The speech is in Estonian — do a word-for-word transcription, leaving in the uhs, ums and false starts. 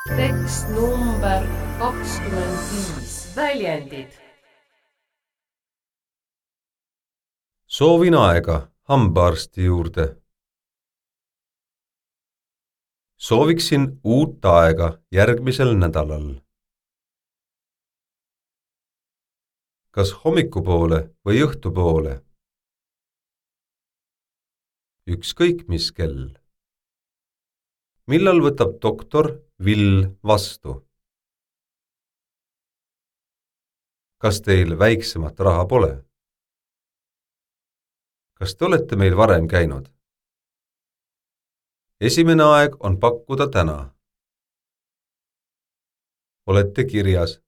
Tekst number kakskümmend viis. Väljendid. Soovin aega hambaarsti juurde. Sooviksin uut aega järgmisel nädalal. Kas hommikupoole või õhtupoole? Ükskõik mis kell. Millal võtab doktor Vill vastu? Kas teil väiksemat raha pole? Kas te olete meil varem käinud? Esimene aeg on pakkuda täna. Olete kirjas.